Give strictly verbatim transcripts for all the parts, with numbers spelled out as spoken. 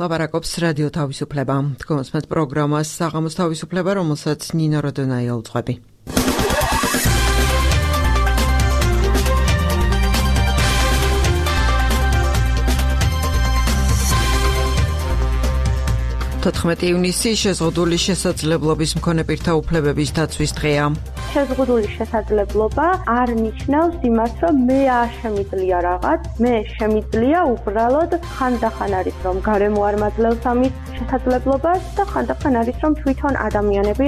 ლაპარაკობს რადიო თავისუფლება. Თქვენს პროგრამას საღამოს თავისუფლება, რომელსაც ნინო როდონაია უძღვები. თოთხმეტი ივნისი შეზღუდული შესაძლებლობის მქონე პირთა უფლებების დაცვის დღეა. შეზღუდული შესაძლებლობა არ ნიშნავს იმას, რომ მე არ შემიძლია რაღაც, მე შემიძლია უბრალოდ ხანდახან არის, რომ გარემო არ მაძლევს ამის შესაძლებლობას და ხანდახან არის, რომ თვითონ ადამიანები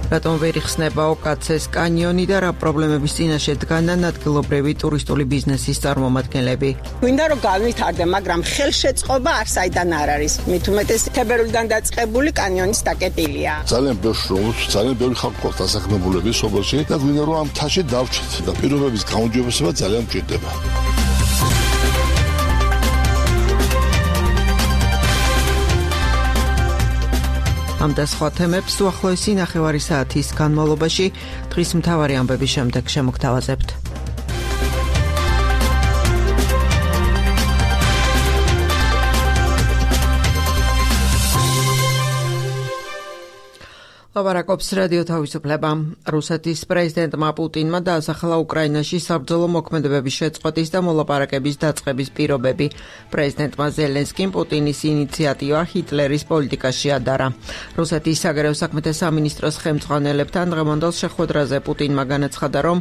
რატომ ვერ იხსნება ოკაცეს კანიონი და რა პრობლემების წინაშე დგანან ადგილობრივი ტურისტული ბიზნესის წარმომადგენლები. გვინდა რომ განვითარდე, მაგრამ ხელშეწყობა არ საიდან არ არის. მით უმეტეს თებერვლიდან დაწყებული კანიონის დაკეტილია. ძალიან ბევრ შრომს, ძალიან ბევრი ხალხი ყავს დასაქმებულები სოფელში და გვინდა რომ ამ თაში დავჭეთ და პირობების გაუმჯობესება ძალიან მჭირდება. ამ და სხვა თემებს უახლოესი ნახევარი საათის განმავლობაში დღის მთავარი ამბების შემდეგ შემოგთავაზებთ. ლაპარაკობს რადიო თავისუფლება. რუსეთის პრეზიდენტმა პუტინმა დაასახელა უკრაინაში საბრძოლო მოქმედებების შეწყვეტის და მოლაპარაკების დაწყების პირობები. პრეზიდენტმა ზელენსკიმ პუტინის ინიციატივა ჰიტლერის პოლიტიკაში ადარა. რუსეთის საგარეო საქმეთა სამინისტროს ხელმძღვანელებთან დღევანდელ შეხვედრაზე პუტინმა განაცხადა, რომ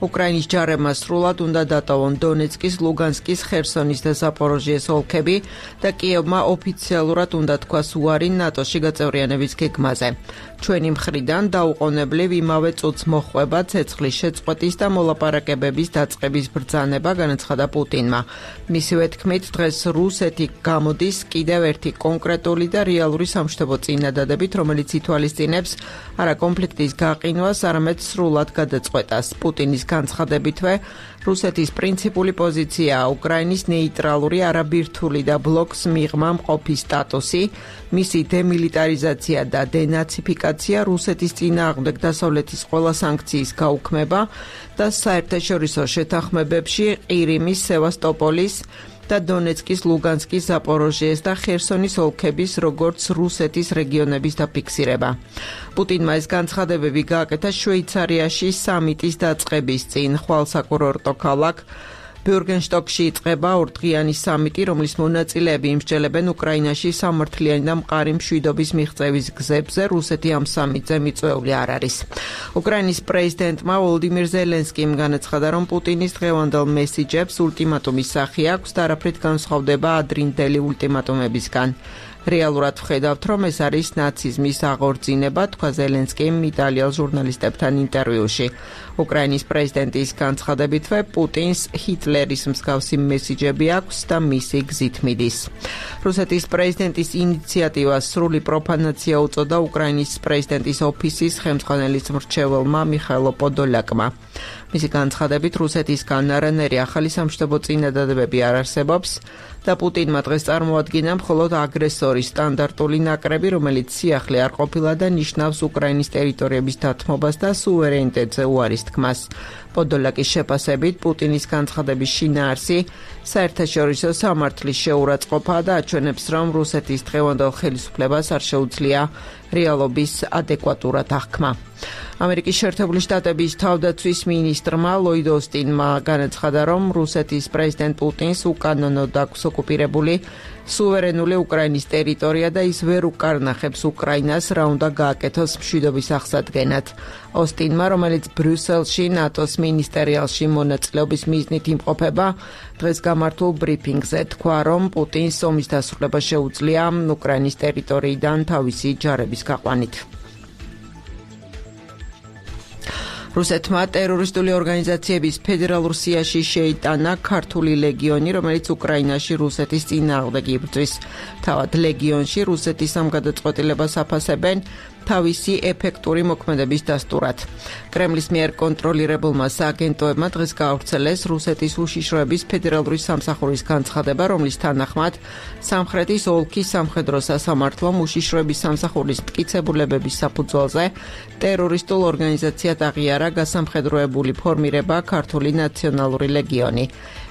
უკრაინის ჯარებმა სრულად უნდა დატოვონ დონეცკის, ლუგანსკის, ხერსონის და ზაპოროჟიეს ოლქები და კიევმა ოფიციალურად უნდა თქვას უარი ნატოში გაწევრიანების გეგმაზე. ჩვენი მხრიდან დაუყოვნებლივ იმავე წუთს მოხვება ცეცხლის შეწყვეტის და მოლაპარაკებების დაწყების ბრძანება, განაცხადა პუტინმა. მისივე თქმით, დღეს რუსეთი გამოდის კიდევ ერთი კონკრეტული და რეალური სამშვიდობო წინადადებით, რომელიც ითვალისწინებს არა კონფლიქტის გაყინვას, არამედ სრულად გადაწყვეტას. პუტინის განცხადებითვე, რუსეთის პრინციპული პოზიციაა უკრაინის ნეიტრალური, არაბირთული და ბლოკს მიღმა მყოფი სტატუსი, მისი დემილიტარიზაცია და დენაციფიკაცია, რუსეთის წინააღმდეგ დასავლეთის ყველა სანქციის გაუქმება და საერთაშორისო შეთანხმებებში ყირიმის, სევასტოპოლის და დონეცკის, ლუგანსკის, ზაპოროჟიეს და ხერსონის ოლქების როგორც რუსეთის რეგიონების დაფიქსირება. პუტინმა ეს განცხადებები გააკეთა შვეიცარიაში სამიტის დაწყების წინ. ხვალ საკურორტო ქალაქ ბიურგენშტოკში იწყება ორდღიანი სამიტი, რომლის მონაწილეები იმსჯელებენ უკრაინაში სამართლიანი და მყარი მშვიდობის მიღწევის გზებზე. რუსეთი ამ სამიტზე მიწვეული არ არის. უკრაინის პრეზიდენტმა ვოლოდიმირ ზელენსკიმ განაცხადა, რომ პუტინის დღევანდელ მესიჯებს ულტიმატუმის სახე აქვს და არაფრით განსხვავდება ადრინდელი ულტიმატუმებისგან. რეალურად ვხედავთ, რომ ეს არის ნაციზმის აღორძინება, თქვა ზელენსკიმ იტალიელ ჟურნალისტებთან ინტერვიუში. უკრაინის პრეზიდენტის განცხადებითვე, პუტინს ჰიტლერის მსგავსი მესიჯები აქვს და მისი გზით მიდის. რუსეთის პრეზიდენტის ინიციატივას სრული პროფანაცია უწოდა უკრაინის პრეზიდენტის ოფისის ხელმძღვანელის მრჩეველმა მიხაილო პოდოლაკმა. მისი განცხადებით, რუსეთისგან არანაირი ახალი სამშვიდობო წინადადებები არ არსებობს და პუტინმა დღეს წარმოადგინა მხოლოდ აგრესორის სტანდარტული ნაკრები, რომელიც სიახლე არ ყოფილა და ნიშნავს უკრაინის ტერიტორიების დათმობას და სუვერენიტეტზე უარის თქმას. პოდოლაკის შეფასებით, პუტინის განცხადების შინაარსი საერთაშორისო სამართლის შეურაცხყოფაა და აჩვენებს, რომ რუსეთის დღევანდელ ხელისუფლებას არ შეუძლია რეალობის ადეკვატურად აღქმა. ამერიკის შეერთებული შტატების თავდაცვის მინისტრმა ლოიდ ოსტინმა განაცხადა, რომ რუსეთის პრეზიდენტ პუტინს უკანონოდ აქვს ოკუპირებული სუვერენული უკრაინის ტერიტორია და ის ვერ უკარნახებს უკრაინას, რა უნდა გააკეთოს მშვიდობის აღსადგენად. ოსტინმა, რომელიც ბრიუსელში ნატოს მინისტერიალში მონაწილეობის მიზნით იმყოფება, დღეს გამართულ ბრიფინგზე თქვა, რომ პუტინს ომის დასრულება შეუძლია უკრაინის ტერიტორიიდან თავისი ჯარების გაყვანით. რუსეთმა ტერორისტული ორგანიზაციების ფედერალურ სიაში შეიტანა ქართული ლეგიონი, რომელიც უკრაინაში რუსეთის წინააღმდეგ იბრძვის. თავად ლეგიონში რუსეთის ამ გადაწყვეტილებას აფასებენ თავისი ეფექტური მოქმედების დასტურად. კრემლის მიერ კონტროლირებულმა სააგენტოებმა დღეს გაავრცელეს რუსეთის უშიშროების ფედერალური სამსახურის განცხადება, რომლის თანახმად სამხრეთის ოლქის სამხედრო სასამართლომ უშიშროების სამსახურის მტკიცებულებების საფუძველზე ტერორისტულ ორგანიზაციად აღიარა გაიარა გასამხედროებული ფორმირება ქართული ნაციონალური ლეგიონი.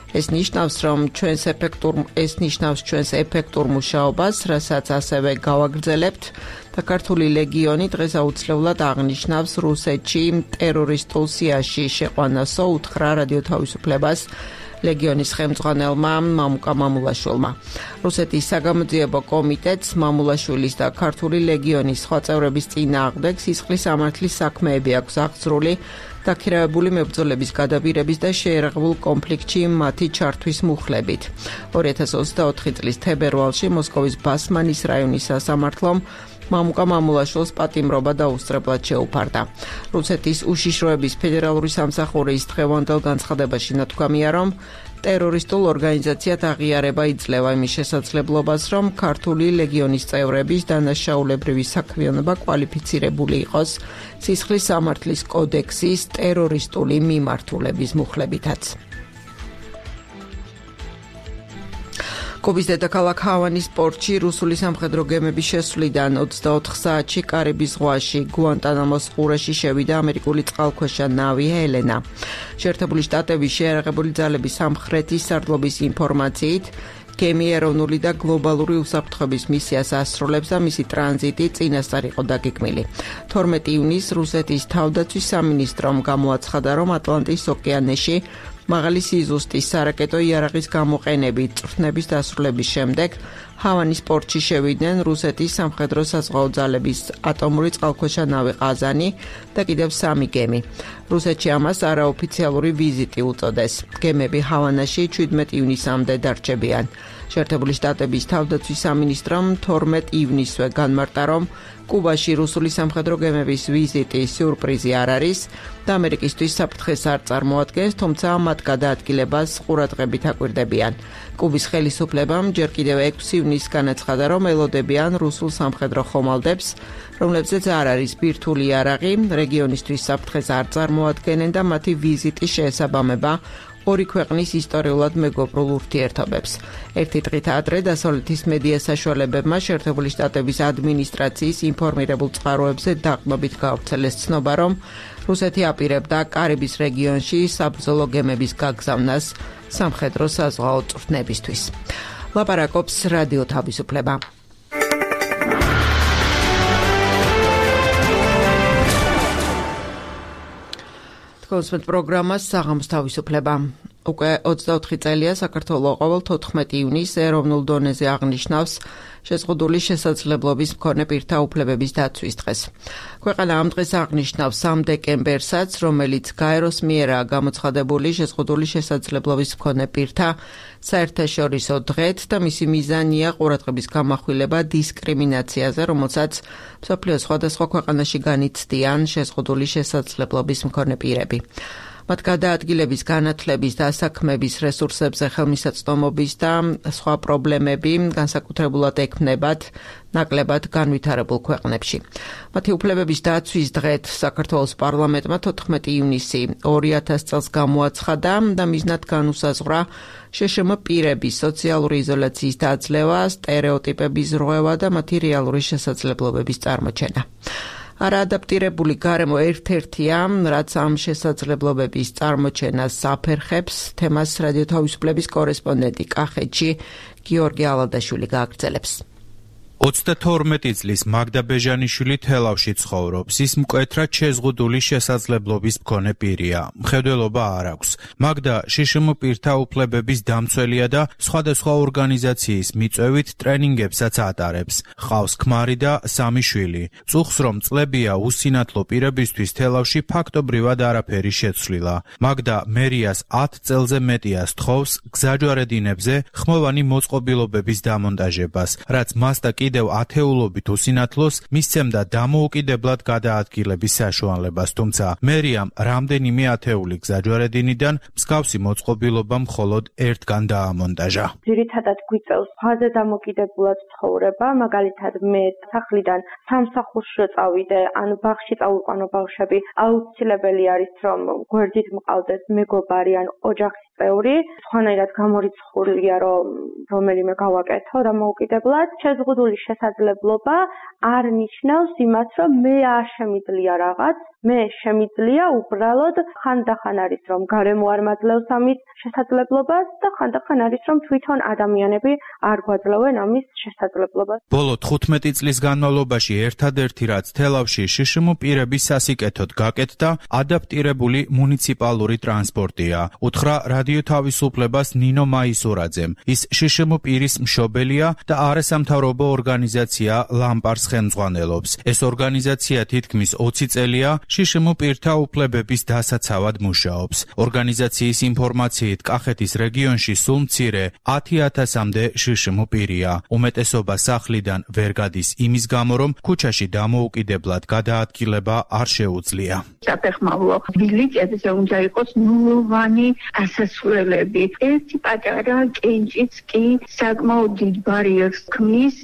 ეს ნიშნავს, რომ ჩვენს ეფექტურ ეს ნიშნავს ჩვენს ეფექტურ მუშაობას, რასაც ასევე გავაგრძელებთ და ქართული ლეგიონი დღეს აუცილებლად აღნიშნავს რუსეთში ტერორისტულ სიაში შეყვანასო უთხრა რადიო თავისუფლებას ლეგიონის ხელმძღვანელმა მამუკა მამულაშვილმა. რუსეთის საგამოძიებო კომიტეტს მამულაშვილის და ქართული ლეგიონის სხვა წევრების წინააღმდეგ სისხლის სამართლის საქმეები აქვს აღძრული დაქირავებული მებრძოლების გადაბირების და შეერაღებულ კონფლიქტში მათი ჩართვის მუხლებით. ორი ათას ოცდაოთხი წლის თებერვალში მოსკოვის ბასმანის რაიონის სასამართლომ მამუკა მამულაშვილს პატიმრობა დაუსწრებლად შეუფარდა. რუსეთის უშიშროების ფედერალური სამსახურის დღევანდელ განცხადებაში ნათქვამია, რომ ტერორისტულ ორგანიზაციად აღიარება იძლევა იმის შესაძლებლობას, რომ ქართული ლეგიონის წევრების დანაშაულებრივი საქმიანობა კვალიფიცირებული იყოს სისხლის სამართლის კოდექსის ტერორისტული მიმართულების მუხლებითაც. კუბის დედაქალაქ ჰავანის პორტში რუსული სამხედრო გემების შესვლიდან ოცდაოთხ საათში კარიბის ზღვაში გუანტანამოს ყურეში შევიდა ამერიკული წყალქვეშა ნავი ჰელენა. შეერთებული შტატების შეიარაღებული ძალების სამხრეთის სარდლობის ინფორმაციით, გემი ეროვნული და გლობალური უსაფრთხოების მისიას ასრულებს და მისი ტრანზიტი წინასწარ იყო დაგეგმილი. თორმეტი ივნისს რუსეთის თავდაცვის სამინისტრომ გამოაცხადა, რომ ატლანტის ოკეანეში მაღალი სიზუსტის სარაკეტო იარაღის გამოყენებით წვრთნების დასრულების შემდეგ ჰავანის პორტში შევიდნენ რუსეთის სამხედრო საზღვაო ძალების ატომური წყალქვეშა ნავი ყაზანი და კიდევ სამი გემი. რუსეთში ამას არაოფიციალური ვიზიტი უწოდეს. გემები ჰავანაში ჩვიდმეტი ივნისამდე დარჩებიან. შეერთებული შტატების თავდაცვის სამინისტრომ თორმეტი ივნისვე განმარტა, რომ კუბაში რუსული სამხედრო გემების ვიზიტი სიურპრიზი არ არის და ამერიკისთვის საფრთხეს არ წარმოადგენს, თუმცა მათ გადაადგილებას ყურადღებით აკვირდებიან. კუბის ხელისუფლებამ ჯერ კიდევ ექვსი ივნისს განაცხადა, რომ ელოდებიან რუსულ სამხედრო ხომალდებს, რომლებზეც არ არის ბირთვული იარაღი, რეგიონისთვის საფრთხეს არ წარმოადგენენ და მათი ვიზიტი შეესაბამება ორი ქვეყნის ისტორიულად მეგობრულ ურთიერთობებს. ერთი დღით ადრე დასავლეთის მედია საშუალებებმა შეერთებული შტატების ადმინისტრაციის ინფორმირებულ წყაროებზე დაყრდნობით გავრცელეს ცნობა, რომ რუსეთი აპირებდა კარიბის რეგიონში საბრძოლო გემების გაგზავნას სამხედრო საზღვაო წვრთნებისთვის. ლაპარაკობს რადიო თავისუფლება. კონსპект პროგრამას საღამოს თავისუფლება. უკვე ოცდაოთხი წელია საქართველოს ყოველ თოთხმეტი ივნისს ეროვნულ დონეზე აღნიშნავს შეზღუდული შესაძლებლობის მქონე პირთა უფლებების დაცვის დღეს. ქვეყანა ამ დღეს აღნიშნავს სამ დეკემბერსაც, რომელიც გაეროს მიერაა გამოცხადებული შეზღუდული შესაძლებლობის მქონე პირთა საერთაშორისო დღედ და მისი მიზანია ყურადღების გამახვილება დისკრიმინაციაზე, რომელსაც მსოფლიოს სხვადასხვა ქვეყანაში განიცდიან შეზღუდული შესაძლებლობის მქონე პირები. მათ გადაადგილების, განათლების და საქმების რესურსებზე ხელმისაწვდომობის და სხვა პრობლემები განსაკუთრებულად ექმნებათ ნაკლებად განვითარებულ ქვეყნებში. მათი უფლებების დაცვის დღეთ საქართველოს პარლამენტმა თოთხმეტი ივნისი ორი ათას წელს გამოაცხადა და მიზნად განუსაზღვრა შეშმ პირების სოციალური იზოლაციის დაძლევა, სტერეოტიპების ზრღვევა და მათი რეალური შესაძლებლობების წარმოჩენა. არაადაპტირებული გარემო ერთ-ერთია, რაც ამ შესაძლებლობების წარმოჩენას საფერხებს, თემას რადიო თავისუფლების კორესპონდენტი კახეთში გიორგი ალადაშვილი გააგრძელებს. ოცდათორმეტი წლის მაგდა ბეჟანიშვილი თელავში ცხოვრობს. ის მკვეთრად შეზღუდული შესაძლებლობის მქონე პირია. მხედველობა არ აქვს. მაგდა შშმ პირთა უფლებების დამცველია და სხვადასხვა ორგანიზაციის მიწვევით ტრენინგებსაც ატარებს. ჰყავს ქმარი და სამი შვილი. წუხს რომ წლებია უსინათლო პირებისთვის თელავში ფაქტობრივად არაფერი შეცვლილა. მაგდა მერიას ათ წელზე მეტია სთხოვს გზაჯვარედინებზე ხმოვანი მოწყობილობების დამონტაჟებას, რაც მას და კიდევ ათეულობით უსინათლოს მისცემდა დამოუკიდებლად გადაადგილების საშუალებას, თუმცა მერიამ რამდენიმე ათეული გზაჯვარედინიდან მსგავსი მოწყობილობა მხოლოდ ერთგან დაამონტაჟა. ძირითადად გვიწევს ფაზე დამოკიდებულად ცხოვრება, მაგალითად მე სახლიდან სამსახურში წავიდე, ან ბაღში წავიყვანო ბავშვები, აუცილებელი არის რომ გვერდით მყავდეს მეგობარი ან ოჯახის წევრი, სხვანაირად გამორიცხულია რომ რომელიმე გავაკეთო დამოუკიდებლად. შეზღუდული შესაძლებლობა არ ნიშნავს იმას, რომ მე არ შემიძლია რაღაც მე შემიძლია უბრალოდ ხანდახან არის რომ გარემო არ მაძლევს ამის შესაძლებლობას და ხანდახან არის რომ თვითონ ადამიანები არ გვაძლევენ ამის შესაძლებლობას. ბოლო თხუთმეტი წლის განმავლობაში ერთადერთი რაც თელავში შშმ პირების სასიკეთოდ გაკეთდა ადაპტირებული მუნიციპალური ტრანსპორტია. უთხრა რადიო თავისუფლებას ნინო მაისურაძემ. ის შშმ პირის მშობელია და არასამთავრობო ორგანიზაცია ლამპარს ხელმძღვანელობს. ეს ორგანიზაცია თითქმის ოცი წელია შშმ პირთა უფლებების დასაცავად მუშაობს. ორგანიზაციის ინფორმაციით კახეთის რეგიონში სულ მცირე ათი ათასამდე შშმ პირია. უმეტესობა სახლიდან ვერ გადის იმის გამო, რომ ქუჩაში დამოუკიდებლად გადაადგილება არ შეუძლია. საფეხმავლო ბილიკებზე უნდა იყოს ნულოვანი ასასვლელები. ერთი პატარა კენჭიც კი საკმაოდ დიდ ბარიერს ქმნის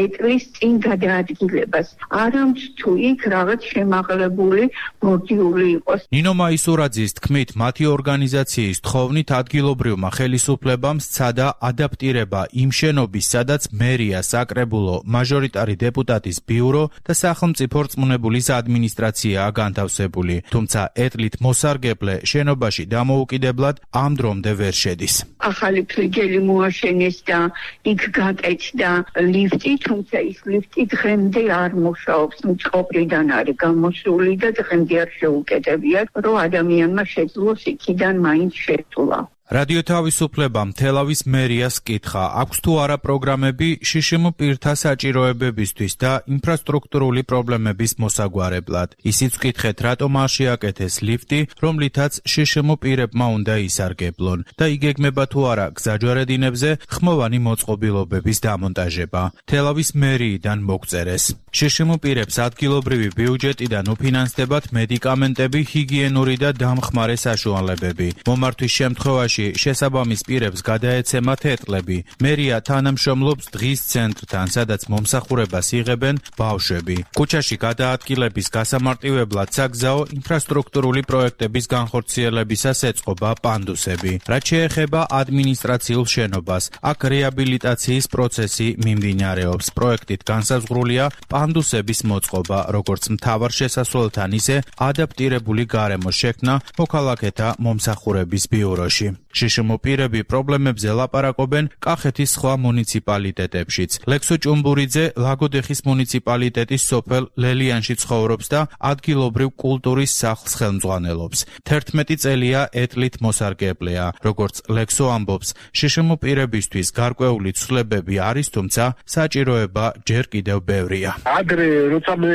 ეტლის წინ გადაადგილებას. არამც თუ იქ რაღაც შემაღლებული ბორდიული იყოს. ნინო მაისურაძის თქმით, მათი ორგანიზაციის თხოვნით ადგილობრივმა ხელისუფლებამ სცადა ადაპტირება იმ შენობის, სადაც მერია, საკრებულო, მაჟორიტარი დეპუტატის ბიურო და სახელმწიფო რწმუნებულის ადმინისტრაციაა განთავსებული. თუმცა ეტლით მოსარგებლე შენობაში დამოუკიდებლად ამ დრომდე ვერ შედის. ახალი ფლიგელი მოაშენეს და იქ გაკეთდა ლიფტი, თუმცა ის ლიფტი დღემდე არ მუშაობს. მწყობრიდან არის გამოსული და დღემდე არ შეუკეთებიათ, რომ ადამიანმა შეძლოს იქიდან მაინც შესვლა. რადიო თავისუფლებამ თელავის მერიას კითხა, აქვს თუ არა პროგრამები შშმ პირთა საჭიროებებისთვის და ინფრასტრუქტურული პრობლემების მოსაგვარებლად. ისიც ვკითხეთ, რატომ არ შეაკეთეს ლიფტი, რომლითაც შშმ პირებმა უნდა ისარგებლონ და იგეგმება თუ არა გზაჯვარედინებზე ხმოვანი მოწყობილობების დამონტაჟება. თელავის მერიიდან მოგწერეს. შშმ პირებს ადგილობრივი ბიუჯეტიდან უფინანსდებათ მედიკამენტები, ჰიგიენური და დამხმარე საშუალებები. მომართვის შემთხვევაში შესაბამის პირებს გადაეცემათ ეტლები. მერია თანამშრომლობს დღის ცენტრთან, სადაც მომსახურებას იღებენ ბავშვები. ქუჩაში გადაადგილების გასამარტივებლად საგზაო ინფრასტრუქტურული პროექტების განხორციელებისას ეწყობა პანდუსები. რაც შეეხება ადმინისტრაციულ შენობას, აქ რეაბილიტაციის პროცესი მიმდინარეობს. პროექტით განსაზღვრულია პანდუსების მოწყობა, როგორც მთავარ შესასვლელთან, ისე ადაპტირებული გარემოს შექმნა მოქალაქეთა მომსახურების ბიუროში. შშმ პირები პრობლემებზე ლაპარაკობენ კახეთის სხვა მუნიციპალიტეტებშიც. ლექსო ჭუმბურიძე ლაგოდეხის მუნიციპალიტეტის სოფელ ლელიანში ცხოვრობს და ადგილობრივ კულტურის სახლს ხელმძღვანელობს. თერთმეტი წელია ეტლით მოსარგებლეა. როგორც ლექსო ამბობს, შშმ პირებისთვის გარკვეული ცვლილებები არის, თუმცა საჭიროება ჯერ კიდევ ბევრია. ადრე როცა მე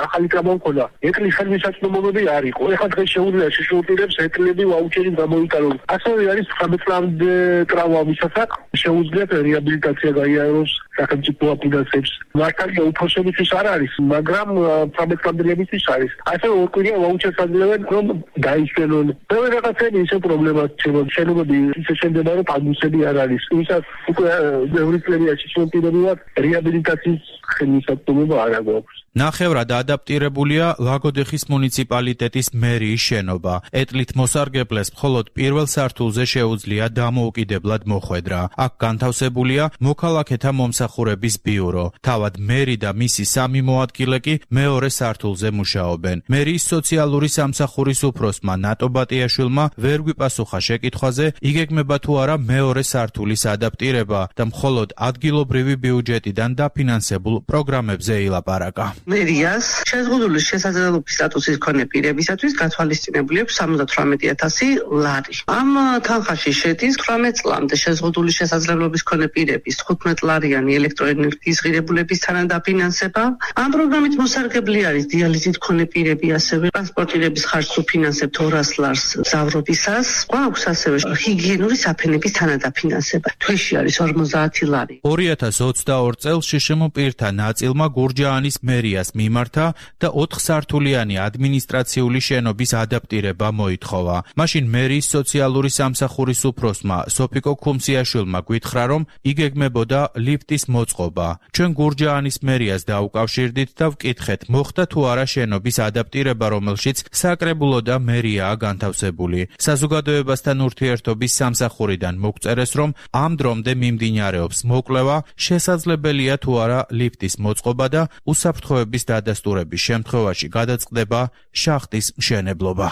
ახალი გამომქონდა, ეტლის ხელმისაწვდომობები არ იყო. ეხლა დღეს შეუძლია შშმ პირებს ეტლები ვაუჩერით გამოიტანონ. ასევე არის თხამეტ წლამდე ტრავმა ვისასაც შეუძლიათ რეაბილიტაცია გაიაროს სახელმწიფო აფინანსებს. მართალია უფროსებისთვის არ არის, მაგრამ თხამეტ წლამდელებისთვის არის. ასევე ორკვირია ვაუჩერს აძლევენ, რომ დაიშველონ. ბევრი რაღაცები ისე პრობლემაა ჩემო შენობები ისე შემდება, რომ პანდუსები არ არის. ვისაც უკვე ბევრი წელია შშმ პირები ვართ, რეაბილიტაციის ხელმისაწვდომობა არ აქვს. ნახევრად ადაპტირებულია ლაგოდეხის მუნიციპალიტეტის მერიის შენობა. ეტლით მოსარგებლეს მხოლოდ პირველ სართულზე შეუძლია დამოუკიდებლად მოხვედრა. აქ განთავსებულია მოქალაქეთა მომსახურების ბიურო. თავად მერი და მისი სამი მოადგილე კი მეორე სართულზე მუშაობენ. მერიის სოციალური სამსახურის უფროსმა ნატო ბატიაშვილმა ვერ გვიპასუხა შეკითხვაზე, იგეგმება თუ არა მეორე სართულის ადაპტირება და მხოლოდ ადგილობრივი ბიუჯეტიდან დაფინანსებულ პროგრამებზე ილაპარაკა. მერიას შეზღუდული შესაძლებლობის სტატუსის მქონე პირებისათვის გათვალისწინებული აქვს სამოცდათვრამეტი ათასი ლარი. ამ თანხაში შედის თვრამეტ წლამდე შეზღუდული შესაძლებლობის მქონე პირების თხუთმეტლარიანი ელექტროენერგიის ღირებულების თანადაფინანსება. ამ პროგრამით მოსარგებლე არის დიალიზით მქონე პირები, ასევე ტრანსპორტირების ხარჯს უფინანსებთ ორას ლარს მგზავრობისას. გვაქვს ასევე ჰიგიენური საფენების თანადაფინანსება. თვეში არის ორმოცდაათი ლარი. ორი ათას ოცდაორ წელს შშმ პირთა ნაწილმა გურჯაანის მერია მიმართა და ოთხსართულიანი ადმინისტრაციული შენობის ადაპტირება მოითხოვა. მაშინ მერიის სოციალური სამსახურის სამსახურის უფროსმა სოფიკო ქუმსიაშვილმა გვითხრა, რომ იგეგმებოდა ლიფტის მოწყობა. ჩვენ გურჯაანის მერიას დაუკავშირდით და ვკითხეთ, მოხდა თუ არა შენობის ადაპტირება, რომელშიც საკრებულო და მერიაა განთავსებული. საზოგადოებასთან ურთიერთობის სამსახურიდან მოგწერეს, რომ ამ დრომდე მიმდინარეობს მოკვლევა, შესაძლებელია თუ არა ლიფტის მოწყობა და უსაფრთხოების დადასტურების შემთხვევაში გადაწყდება შახტის მშენებლობა.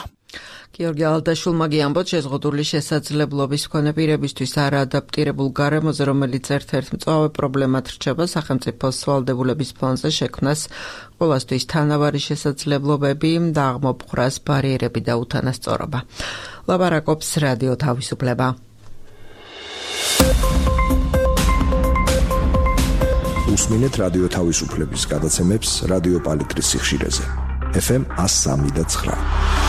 გიორგი ალდაშვილმა გიამბოთ, შეზღუდული შესაძლებლობის მქონე პირებისთვის არაადაპტირებულ გარემოზე, რომელიც ერთ-ერთ მწვავე პრობლემად რჩება სახელმწიფოს ვალდებულების ფონზე შექმნას ყოველთვის თანავარი შესაძლებლობები და აღმოფხვრას ბარიერები და უთანასწორობა. ლაპარაკობს რადიო თავისუფლება. უსმინეთ რადიო თავისუფლების გადაცემებს რადიო პალიტრის სიხშირეზე. ეფ ემ one oh three point nine.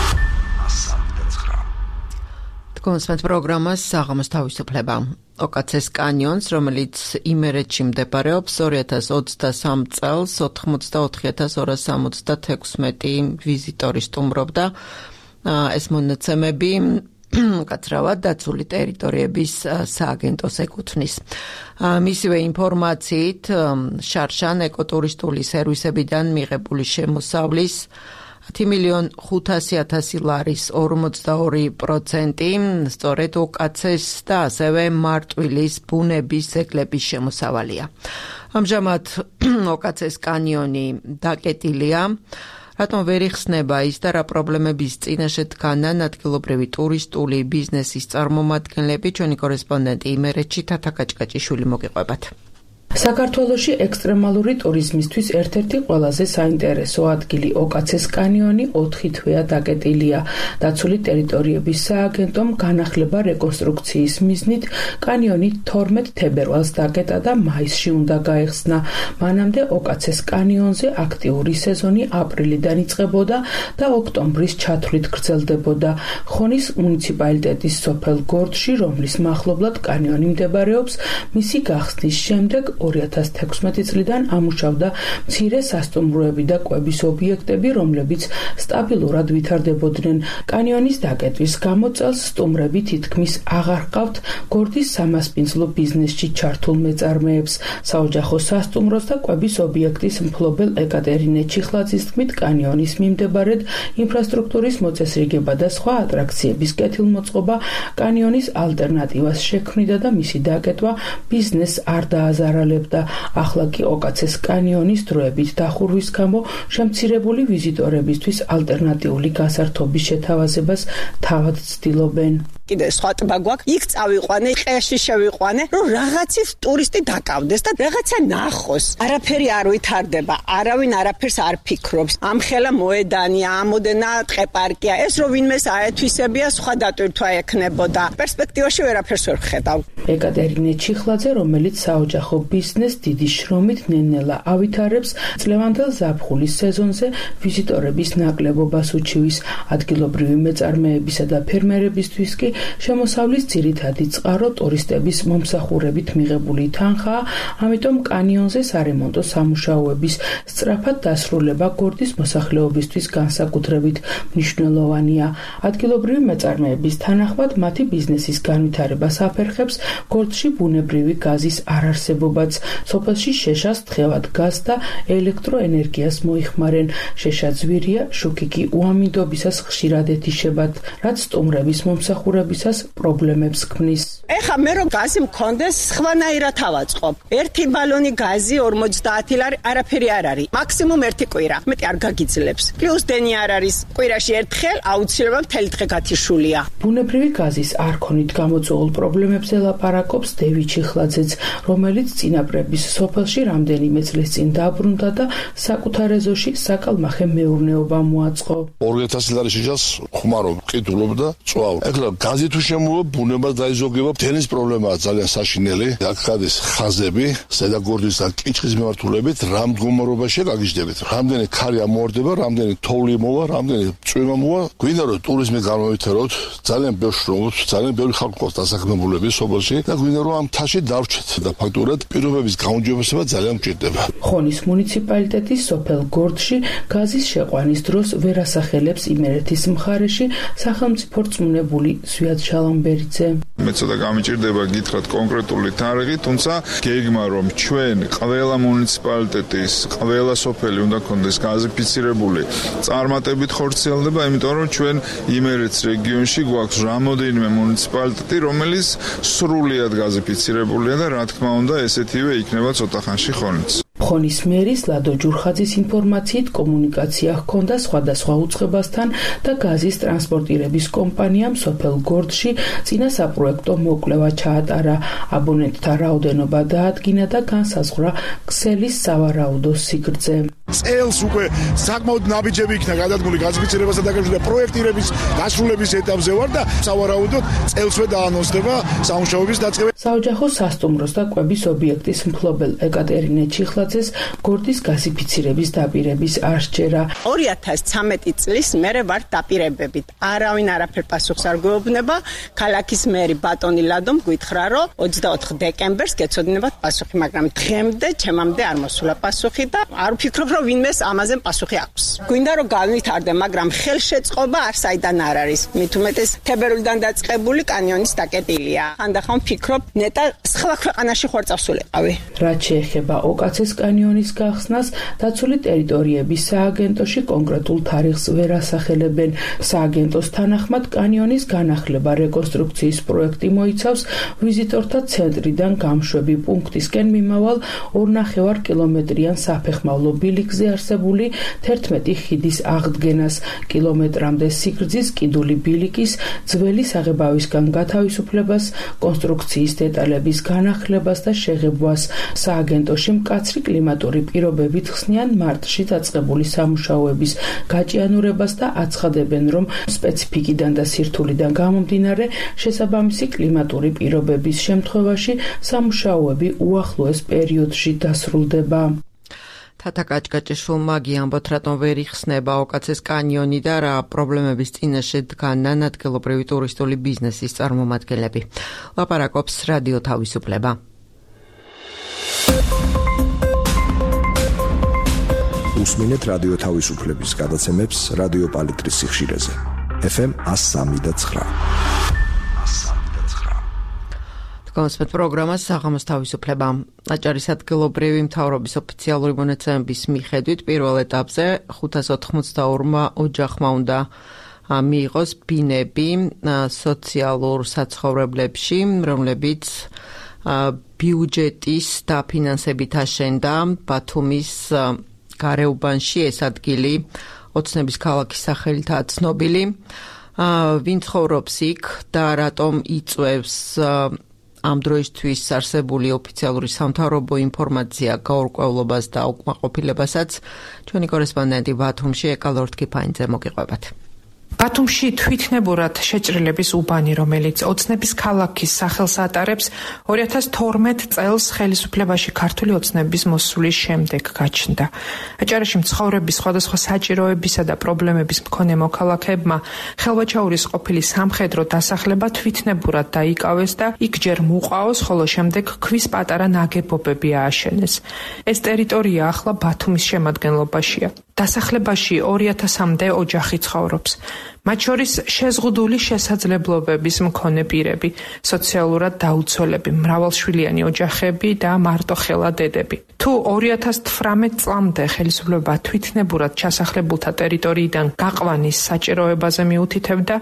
კონსვენთ პროგრამას საღამოს თავისუფლება. ოკაცეს კანიონს, რომელიც იმერეთში მდებარეობს, ორი ათას ოცდასამ წელს ოთხმოცდაოთხი ათას ორას სამოცდათექვსმეტი ვიზიტორი სტუმრობდა. ეს მონაცემები კაცრავად დაცული ტერიტორიების სააგენტოს ეკუთვნის. მისივე ინფორმაციით, შარშან ეკოტურისტული სერვისებიდან მიღებული შემოსავლის ათი მილიონი ხუთასი ათასი ლარის ორმოცდაორი პროცენტი სწორედ ოკაცეს და ასევე მარტვილის ბუნების ძეგლების შემოსავალია. ამჟამად ოკაცეს კანიონი დაკეტილია. რატომ ვერ იხსნება ის და რა პრობლემების წინაშე დგანან ადგილობრივი ტურისტული ბიზნესის წარმომადგენლები? ჩვენი კორესპონდენტი იმერეთში თათა კაჭკაჭიშვილი მოგიყვებათ. საქართველოში ექსტრემალური ტურიზმისთვის ერთ-ერთი ყველაზე საინტერესო ადგილი ოკაცეს კანიონი ოთხი თვეა დაკეტილია. დაცული ტერიტორიების სააგენტომ განახლება რეკონსტრუქციის მიზნით კანიონი თორმეტ თებერვალს დაკეტა და მაისში უნდა გაიხსნა. მანამდე ოკაცეს კანიონზე აქტიური სეზონი აპრილიდან იწყებოდა და ოქტომბრის ჩათვლით გრძელდებოდა. ხონის მუნიციპალიტეტის სოფელ გორდში, რომლის მახლობლად კანიონი მდებარეობს, მისი გახსნის შემდეგ ორი ათას თექვსმეტი წლიდან ამუშავდა მცირე სასტუმროები და კვების ობიექტები, რომლებიც სტაბილურად ვითარდებოდნენ. კანიონის დაკეტვის გამო წელს სტუმრები თითქმის აღარ ჰყავთ გორდის სამასპინძლო ბიზნესში ჩართულ მეწარმეებს. საოჯახო სასტუმროს და კვების ობიექტის მფლობელ ეკატერინე ჩიხლაძის თქმით, კანიონის მიმდებარედ ინფრასტრუქტურის მოწესრიგება და სხვა ატრაქციების კეთილმოწყობა კანიონის ალტერნატივას შექმნიდა და მისი დაკეტვა ბიზნესს არ დააზარალებდა. ახლა კი ოკაცეს კანიონის დროებით დახურვის გამო შემცირებული ვიზიტორებისთვის ალტერნატიული გასართობის შეთავაზებას თავად ცდილობენ. კიდე სხვა ტბა გვაქვს, იქ წავიყვანე, ყეში შევიყვანე, რომ რაღაცის ტურისტი დაკავდეს და რაღაცა ნახოს. არაფერი არ ვითარდება, არავინ არაფერს არ ფიქრობს. ამხელა მოედანია, ამოდენა ტყეპარკია, ეს რომ ვინმეს აეთვისებია, სხვა დატვირთვა ექნებოდა. პერსპექტივაში ვერაფერს ვერ ვხედავ. ეკატერინე ჩიხლაძე, რომელიც საოჯახო ბიზნეს დიდი შრომით ნენელა ავითარებს, წლევანდელ ზაფხულის სეზონზე ვიზიტორების ნაკლებობას უჩივის. ადგილობრივი მეწარმეებისა და ფერმერებისთვის კი შემოსავლის ძირითადი წყარო ტურისტების მომსახურებით მიღებული თანხაა, ამიტომ კანიონზე სარემონტო სამუშაოების სწრაფად დასრულება გორდის მოსახლეობისთვის განსაკუთრებით მნიშვნელოვანია. ადგილობრივი მეწარმეების თანახმად მათი ბიზნესის განვითარებას აფერხებს გორდში ბუნებრივი გაზის არარსებობაც. სოფელში შეშას თხევად გაზ და ელექტროენერგიას მოიხმარენ. შეშა ძვირია, შუქი კი უამინდობისას ხშირად ეთიშებათ, რაც სტუმრების მომსახურებისას პრობლემებს ქმნის. ეხა მე რომ გაზი მქონდეს, სხვანაირად ავაწყობ. ერთი ბალონი გაზი ორმოცდაათი ლარი არაფერი არ არის. მაქსიმუმ ერთი კვირა. მეტი არ გაგიძლებს. პლუს დენი არ არის. კვირაში ერთხელ აუცილებლად მთელი დღე გათიშულია. ბუნებრივი გაზის არქონით გამოწვეულ პრობლემებზე ლაპარაკობს დევი ჩიხლაძეც, რომელიც წინაპრების სოფელში რამდენიმე წლის წინ დაბრუნდა და საკუთარ ეზოში საკალმახე მეურნეობა მოაწყო. ორი ათასი ლარი შეჭას ხმარო ყიდულობდა წვავ. ეხლა გაზი თუ შემოვა, ბუნება დაიზოგება, თელის პრობლემაა ძალიან საშინელი. აქ გადის ხაზები, ზედაგორდის და კიჩხის მიმართულებით, რამ მდგომარეობაშია გაგიჟდებით. რამდენი ქარი ამოვარდება, რამდენი თოვლი მოვა, რამდენი წვიმა მოვა. გვინდა რომ ტურიზმი გამოვითაროთ, ძალიან ბევრ შრომობს, ძალიან ბევრი ხალხი ყავს დასაქმებულები სოფელში და გვინდა რომ ამ თაში დავრჩეთ და ფაქტურად პირობების გაუმჯობესება ძალიან მჭირდება. ხონის მუნიციპალიტეტის სოფელ გორდში გაზის შეყვანის დროს ვერ ასახელებს იმერეთის მხარეში სახელმწიფო რწმუნებული ზვიად შალამბერიძე. მე ცოტა გამიჭირდება გითხრათ კონკრეტული თარიღი, თუმცა გეგმა რომ ჩვენ ყველა მუნიციპალიტეტის, ყველა სოფელი უნდა კონდეს გაზიფიცირებული წარმატებით ხორციელდება, იმიტომ რომ ჩვენ იმერეთს რეგიონში გვაქვს რამოდენიმე მუნიციპალიტეტი, რომელიც სრულიად გაზიფიცირებულია და რა თქმა უნდა ესეთივე იქნება ცოტა ხანში ხონიც. ხონის მერის ლადო ჯურხაძის ინფორმაციით კომუნიკაცია ჰქონდა სხვადასხვა უწყებასთან და გაზის ტრანსპორტირების კომპანიამ სოფელ გორდში წინა საპროექტო მოკვლევა ჩაატარა. აბონენტთა რაოდენობა დაადგინა და განსაზღვრა ქსელის სავარაუდო სიგრძე. წელს უკვე საკმაოდ ნაბიჯები იქნა გადადგმული გაზიფიცირებასთან დაკავშირებით და პროექტირების დასრულების ეტაპზე ვარ და სავარაუდოდ წელსვე დაანონსდება სამუშაოების დაწყება. საოჯახო სასტუმროს და კვების ობიექტის მფლობელ ეკატერინე ჩიხლაძეს გორდის გაზიფიცირების დაპირების არ სჯერა. ორი ათას ცამეტი წლის მერე ვარ დაპირებებით. არავინ არაფერ პასუხს არ გვეუბნება. ქალაქის მერი ბატონი ლადომ გითხრა, რომ ოცდაოთხ დეკემბერს გეცოდინებათ პასუხი, მაგრამ დღემდე ჩემამდე არ მოსულა პასუხი და არ ვფიქრობ, რომ ვინმეს ამაზე პასუხი აქვს. გვინდა რომ განვითარდე, მაგრამ ხელშეწყობა არ საიდან არ არის. მით უმეტეს თებერვლიდან დაწყებული კანიონის დაკეტილია. ხანდახან ვფიქრობ, ნეტა სხვა ქვეყანაში ხوار წავსულიყავი. რაც შეეხება ოკაცეს კანიონის გახსნას, დაცული ტერიტორიების სააგენტოში კონკრეტულ თარიღს ვერ ასახელებენ. სააგენტოს თანახმად კანიონის განახლება რეკონსტრუქციის პროექტი მოიცავს ვიზიტორთა ცენტრიდან გამშვები პუნქტისკენ მიმავალ ორნახევარ კილომეტრიან საფეხმავლო ბილიკზე არსებული თერთმეტი ხიდის აღდგენას, კილომეტრამდე სიგრძის კიდული ბილიკის ძველი საღებავისგან გათავისუფლებას, კონსტრუქციის დეტალების განახლებას და შეღებვას. სააგენტოში მკაცრი კლიმატური პირობებით ხსნიან მარტში დაწყებული სამუშაოების გაჭიანურებას და აცხადებენ, რომ სპეციფიკიდან და სირთულიდან გამომდინარე შესაბამისი კლიმატური პირობების შემთხვევაში სამუშაოები უახლოეს პერიოდში დასრულდება. თათა კაჭკაჭიშვილმა გიამბოთ, რატომ ვერ იხსნება ოკაცეს კანიონი და რა პრობლემების წინაშე დგანან ადგილობრივი ტურისტული ბიზნესის წარმომადგენლები. ლაპარაკობს რადიო თავისუფლება. უსმინეთ რადიო თავისუფლების გადაცემებს რადიო პალიტრის სიხშირეზე. ეფ ემ εκατო სამი და ცხრა. კონსპეთ პროგრამას საღამოს თავისუფლება. აჭარის ადგილობრივი მთავრობის ოფიციალური მონაცემების მიხედვით პირველ ეტაპზე ხუთას ოთხმოცდაორმა ოჯახმა უნდა მიიღოს ბინები სოციალურ საცხოვრებლებში, რომლებიც ბიუჯეტის დაფინანსებით აშენდა ბათუმის გარეუბანში. ეს ადგილი ოცნების ქალაქის სახელითაა ცნობილი. ვინ ცხოვრობს იქ და რატომ იწვევს ამ დროისთვის არსებული ოფიციალური სამთავრობო ინფორმაცია გაურკვევლობას და უკმაყოფილებასაც ჩვენი კორესპონდენტი ბათუმში ეკალორთ კიფაინძე მოგიყვებათ. ბათუმში თვითნებურად შეჭრილების უბანი, რომელიც ოცნების ქალაქის სახელს ატარებს, ორი ათას თორმეტ წელს ხელისუფლებაში ქართული ოცნების მოსვლის შემდეგ გაჩნდა. აჭარაში მცხოვრების სხვადასხვა საჭიროებისა და პრობლემების მქონე მოქალაქეებმა ხელვაჩაურის ყოფილი სამხედრო დასახლება თვითნებურად დაიკავეს და იქ ჯერ მუყაოს, ხოლო შემდეგ ქვის პატარა ნაგებობები ააშენეს. ეს ტერიტორია ახლა ბათუმის შემადგენლობაშია. დასახლებაში ორი ათასამდე ოჯახი ცხოვრობს. მათ შორის შეზღუდული შესაძლებლობების მქონე პირები, სოციალურად დაუცველები, მრავალშვილიანი ოჯახები და მარტოხელა დედები. თუ ორი ათას თვრამეტ წლამდე ხელისუფლება თვითნებურად ჩასახლებულთა ტერიტორიიდან გაყვანის საჭიროებაზე მიუთითებდა,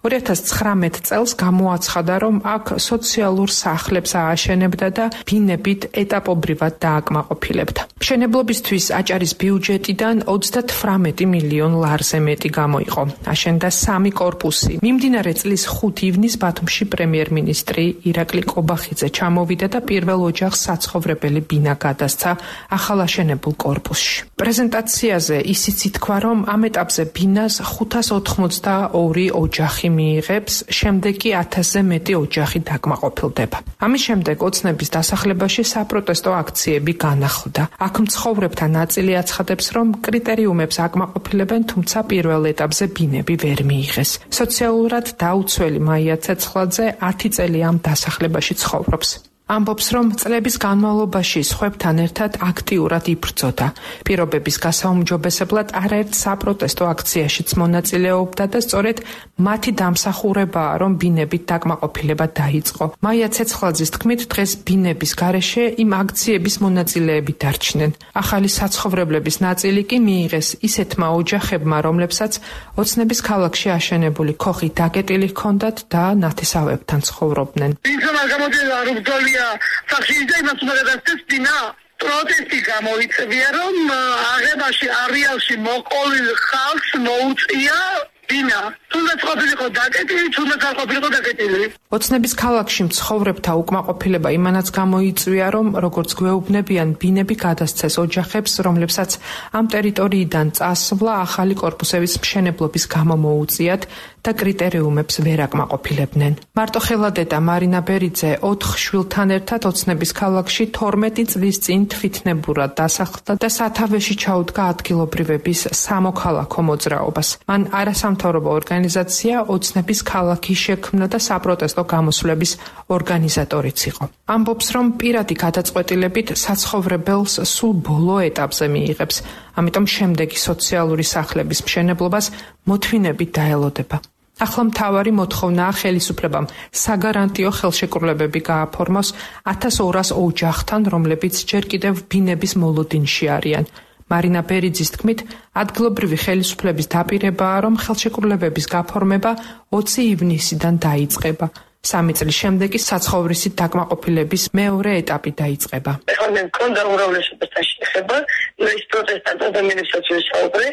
ორი ათას ცხრამეტ წელს გამოაცხადა, რომ აქ სოციალურ სახლებს ააშენებდა და ბინებით ეტაპობრივად დააკმაყოფილებდა. მშენებლობისთვის აჭარის ბიუჯეტიდან ოცდათვრამეტი მილიონ ლარზე მეტი გამოიყო. აშენდა სამი კორპუსი. მიმდინარე წლის ხუთი ივნისს ბათუმში პრემიერ-მინისტრი ირაკლი კობახიძე ჩამოვიდა და პირველ ოჯახს საცხოვრებელი ბინა გადასცა ახალ აშენებულ კორპუსში. პრეზენტაციაზე ისიც ითქვა, რომ ამ ეტაპზე ბინას ხუთას ოთხმოცდაორი ოჯახი მიიღებს, შემდეგ კი ათასზე მეტი ოჯახი დაკმაყოფილდება. ამის შემდეგ ოცნების დასახლებაში საპროტესტო აქციები განახლდა. აქ მცხოვრებთა ნაწილი აცხადებს, რომ კრიტერიუმებს აკმაყოფილებენ, თუმცა პირველ ეტაპზე ბინები ვერ მიიღეს. სოციალურად დაუცველი მაია ცეცხლაძე ათი წელი ამ დასახლებაში ცხოვრობს. ამბობს, რომ წლების განმავლობაში სხვებთან ერთად აქტიურად იბრძოდა. პირობების გასაუმჯობესებლად არაერთ საპროტესტო აქციაშიც მონაწილეობდა და სწორედ მათი დამსახურებაა, რომ ბინებით დაკმაყოფილება დაიწყო. მაია ცეცხლაძის თქმით, დღეს ბინების გარეშე იმ აქციების მონაწილეები დარჩნენ. ახალი საცხოვრებლების ნაწილი კი მიიღეს ისეთმა ოჯახებმა, რომლებსაც ოცნების ქალაქში აშენებული ქოხი დაკეტილი ჰქონდათ და ნათესავებთან ცხოვრობდნენ. სახში იმას უნდა გადასცენა პროტესტი გამოიწვია, რომ აღებაში არეალში მოყოლილ ხალხს მოუწია ბინა. თუნდაც ყოფილიყო დაკეტილი, თუნდაც არ ყოფილიყო დაკეტილი. ოცნების ქალაქში მცხოვრებთა უკმაყოფილება იმანაც გამოიწვია, რომ როგორც გვეუბნებიან, ბინები გადასცეს ოჯახებს, რომლებსაც ამ ტერიტორიიდან წასვლა ახალი კორპუსების მშენებლობის გამო მოუწიათ და კრიტერიუმებს ვერ აკმაყოფილებდნენ. მარტო ხელადედა მარინა ბერიძე ოთხ შვილთან ერთად ოცნების ქალაქში თორმეტი წლის წინ თვითნებურად დასახლდა და სათავეში ჩაუდგა ადგილობრივების სამოქალაქო მოძრაობას. მან არასამთავრობო ორგანიზაცია ოცნების ქალაქი შექმნა და საპროტესტო გამოსვლების ორგანიზატორიც იყო. ამბობს, რომ პირადი გადაწყვეტილებით საცხოვრებელს სულ ბოლო ეტაპზე მიიღებს, ამიტომ შემდეგი სოციალური სახლების მშენებლობას მოთმინებით დაელოდება. ახლა მთავარი მოთხოვნაა ხელისუფლებამ საგარანტიო ხელშეკრულებები გააფორმოს ათას ორას ოჯახთან, რომლებიც ჯერ კიდევ ბინების მოლოდინში არიან. მარინა ბერიძის თქმით, ადგილობრივი ხელისუფლების დაპირებაა, რომ ხელშეკრულებების გაფორმება ოცი ივნისიდან დაიწყება. სამი წლის შემდეგ კი საცხოვრისით დაკმაყოფილების მეორე ეტაპი დაიწყება. ეხლა მე მქონდა უმრავლესობასთან შეხება, ის პროტესტანტ ადამიანებსაც ვისაუბრე,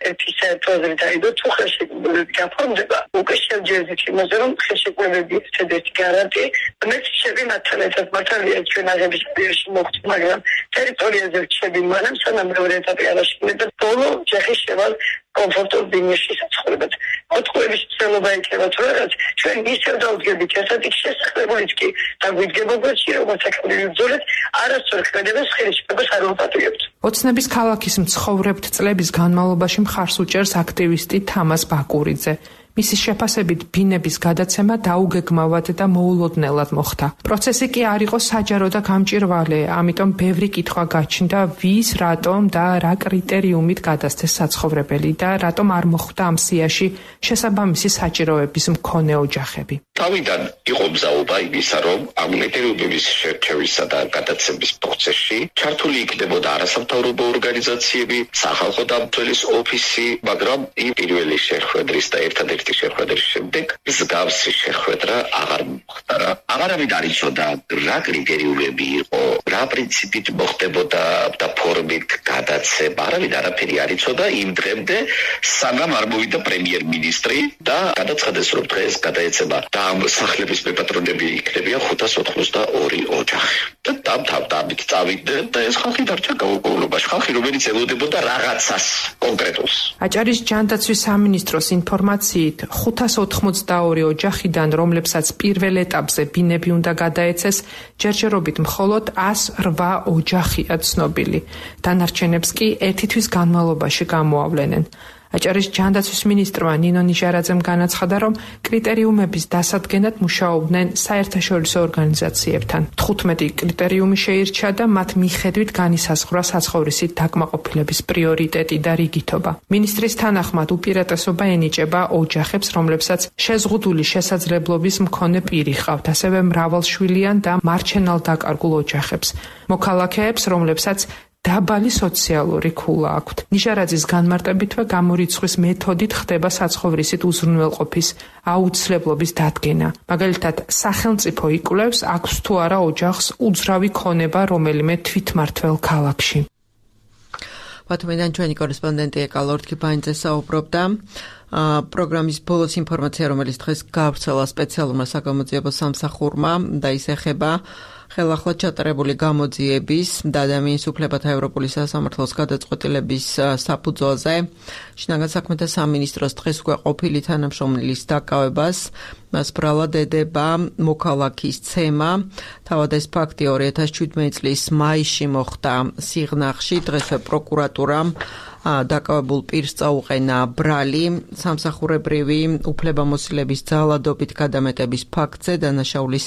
ერთი საერთოდ დაიდო თუ ხელშეკრულებები გაფორმდება, უკვე შევჯერდით იმაზე, რომ ხელშეკრულებები ერთ-ერთი გარანტი, მე შეები მათთან ერთად მართალია ჩვენ აღების პირში მოხდა, მაგრამ ტერიტორიაზე რჩები მანამ სანამ მეორე ეტაპი არ აშენდება, ბოლო ჯახის შევალ კომფორტულ ბინაში საცხოვრებლად. მოთხოვების ცდელობა იქნება თუ რაღაც, ჩვენ ისევ დავდგებით ერთად იქ შესაძლებელიც კი დაგვიდგება გვერდში, როგორც საქმეები ბრძოლეთ, არასწორ ქმედებას ხელისუფლებას არ ვაპატიებთ. ოცნების ქალაქის მცხოვრებთ წლების განმავლობაში მხარს უჭერს აქტივისტი თამას ბაკურიძე. მისი შეფასებით ბინების გადაცემა დაუგეგმავად და მოულოდნელად მოხდა. პროცესი კი არ იყო საჯარო და გამჭირვალე, ამიტომ ბევრი კითხვა გაჩნდა, ვის, რატომ და რა კრიტერიუმით გადასცეს საცხოვრებელი და რატომ არ მოხვდა ამ სიაში შესაბამისი საჭიროების მქონე ოჯახები. თავიდან იყო მზაობა იმისა, რომ ამ კრიტერიუმების შერჩევისა და გადაცემის პროცესში ჩართული იქნებოდა არასამთავრობო ორგანიზაციები, სახალხო დამცველის ოფისი, მაგრამ იმ პირველი შეხვედრის და ერთადერთი შეხვედრის შემდეგ მსგავსი შეხვედრა აღარ მოხდა. აღარავინ არ იცოდა რა კრიტერიუმები იყო, რა პრინციპით მოხდებოდა და ფორმით გადაცემა. არავინ არაფერი არ იცოდა იმ დღემდე, სანამ არ მოვიდა პრემიერ-მინისტრი და გადაცხადეს, რომ დღეს გადაეცემა და ამ სახლების მეპატრონები იქნებიან ხუთას ოცდაორი ოჯახი. და დამთავრდა ამით წავიდნენ და ეს ხალხი დარჩა გაურკვევლობაში. ხალხი, რომელიც ელოდებოდა რაღაცას კონკრეტულს. აჭარის ჯანდაცვის სამინისტროს ინფორმაციით ხუთას ოცდაორი ოჯახიდან, რომლებსაც პირველ ეტაპზე ბინები უნდა გადაეცეს, ჯერჯერობით მხოლოდ ას რვა ოჯახია ცნობილი. დანარჩენებს კი ერთი თვის განმავლობაში გამოავლენენ. აჭარის ჯანდაცვის მინისტრმა ნინო ნიჟარაძემ განაცხადა, რომ კრიტერიუმების დასადგენად მუშაობდნენ საერთაშორისო ორგანიზაციებთან. თხუთმეტი კრიტერიუმი შეირჩა და მათ მიხედვით განისაზღვრა საცხოვრისით დაკმაყოფილების პრიორიტეტი და რიგითობა. მინისტრის თანახმად უპირატესობა ენიჭება ოჯახებს, რომლებსაც შეზღუდული შესაძლებლობის მქონე პირი ჰყავთ, ასევე მრავალშვილიან და მარჩენალ დაკარგულ ოჯახებს. მოქალაქეებს, რომლებსაც დაბალი სოციალური ქულა აქვთ. ნიჟარაძის განმარტებითვე გამორიცხვის მეთოდით ხდება საცხოვრისით უზრუნველყოფის აუცილებლობის დადგენა. მაგალითად, სახელმწიფო იკვლევს, აქვს თუ არა ოჯახს უძრავი ქონება რომელიმე თვითმმართველ ქალაქში. ბათუმიდან ჩვენი კორესპონდენტი ეკალორ თქიფანიძე საუბრობდა. პროგრამის ბოლოს ინფორმაცია, რომელიც დღეს გავრცელა სპეციალურმა საგამოძიებო სამსახურმა და ის ეხება ხელახლა ჩატარებული გამოძიების და ადამიანის უფლებათა ევროპული სასამართლოს გადაწყვეტილების საფუძველზე შინაგან საქმეთა სამინისტროს დღეს უკვე ყოფილი თანამშრომლის დაკავებას მას ბრალად ედება მოქალაქის ცემა. თავად ეს ფაქტი ორი ათას შვიდმეტი წლის მაისში მოხდა სიღნაღში. დღესვე პროკურატურამ დაკავებულ პირს წაუყენა ბრალი სამსახურებრივი უფლებამოსილების ძალადობით გადამეტების ფაქტზე დანაშაულის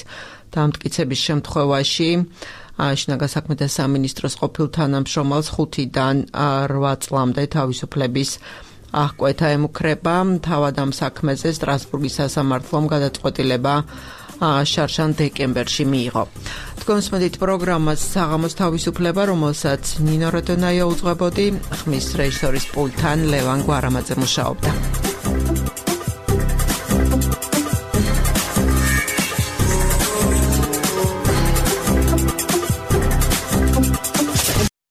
დამტკიცების შემთხვევაში შინაგან საქმეთა სამინისტროს ყოფილ თანამშრომელს ხუთიდან რვა წლამდე თავისუფლების აღკვეთა ემუქრება. თავად ამ საქმეზე სტრასბურგის სასამართლომ გადაწყვეტილება შარშან დეკემბერში მიიღო. თქვენსმენით პროგრამას საღამოს თავისუფლება, რომელსაც ნინო როდონაია უძღვებოდი, ხმის რეჟისორის პულტთან ლევან გვარამაძე მუშაობდა.